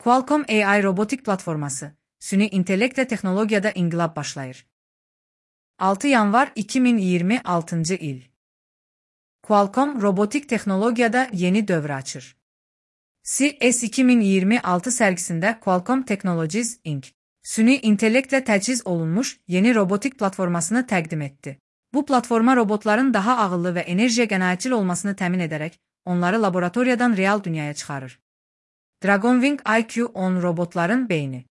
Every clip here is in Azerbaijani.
Qualcomm AI robotik platforması, süni intellektlə texnologiyada inqilab başlayır. 6 yanvar 2026 il. Qualcomm robotik texnologiyada yeni dövr açır. CES 2026 sərgisində Qualcomm Technologies Inc. süni intellektlə təchiz olunmuş yeni robotik platformasını təqdim etdi. Bu platforma robotların daha ağıllı və enerjiyə qənaətçil olmasını təmin edərək, onları laboratoriyadan real dünyaya çıxarır. Dragonwing IQ-10 robotların beyni.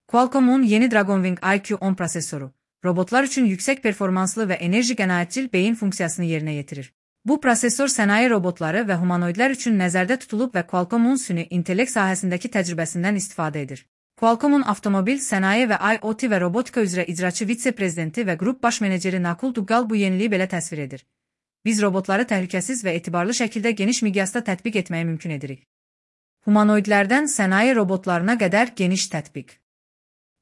Qualcomm'un yeni Dragonwing IQ-10 prosesoru, robotlar üçün yüksək performanslı və enerji qənaətçil beyin funksiyasını yerinə yetirir. Bu prosesor sənaye robotları və humanoidlər üçün nəzərdə tutulub və Qualcomm'un süni intellekt sahəsindəki təcrübəsindən istifadə edir. Qualcomm'un avtomobil, sənaye və IoT və robotika üzrə icraçı vitse-prezidenti və qrup baş meneceri Nakul Duggal bu yeniliyi belə təsvir edir. Biz robotları təhlükəsiz və etibarlı şəkildə geniş miqyasda tətbiq etməyi mümkün edirik. Humanoidlərdən sənaye robotlarına qədər geniş tətbiq.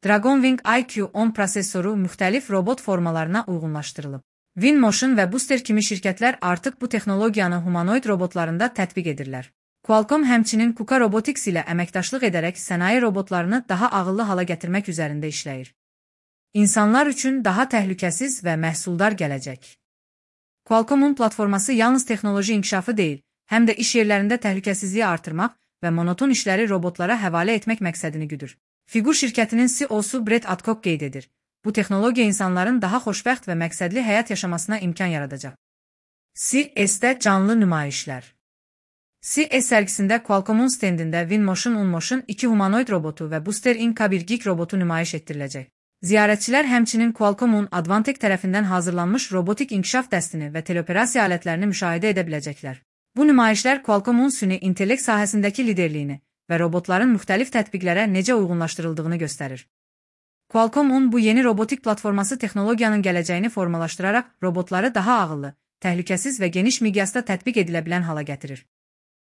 Dragonwing IQ-10 prosesoru müxtəlif robot formalarına uyğunlaşdırılıb. Winmotion və Booster kimi şirkətlər artıq bu texnologiyanı humanoid robotlarında tətbiq edirlər. Qualcomm həmçinin KUKA Robotics ilə əməkdaşlıq edərək sənaye robotlarını daha ağıllı hala gətirmək üzərində işləyir. İnsanlar üçün daha təhlükəsiz və məhsuldar gələcək. Qualcomm'un platforması yalnız texnoloji inkişafı deyil, həm də iş yerlərində təhlükəsizliyi artırmaq və monoton işləri robotlara həvalə etmək məqsədini güdür. Figur şirkətinin CEO-su Brett Adcock qeyd edir. Bu texnologiya insanların daha xoşbəxt və məqsədli həyat yaşamasına imkan yaradacaq. CES-də canlı nümayişlər. CES sərgisində Qualcomm'un stendində Winmotion Unmotion 2 humanoid robotu və Booster Inc. bir geek robotu nümayiş etdiriləcək. Ziyarətçilər həmçinin Qualcomm'un Advantech tərəfindən hazırlanmış robotik inkişaf dəstini və teleoperasiya alətlərini müşahidə edə biləcəklər. Bu nümayişlər Qualcomm'un süni intellekt sahəsindəki liderliyini və robotların müxtəlif tətbiqlərə necə uyğunlaşdırıldığını göstərir. Qualcomm'un bu yeni robotik platforması texnologiyanın gələcəyini formalaşdıraraq robotları daha ağıllı, təhlükəsiz və geniş miqyasda tətbiq edilə bilən hala gətirir.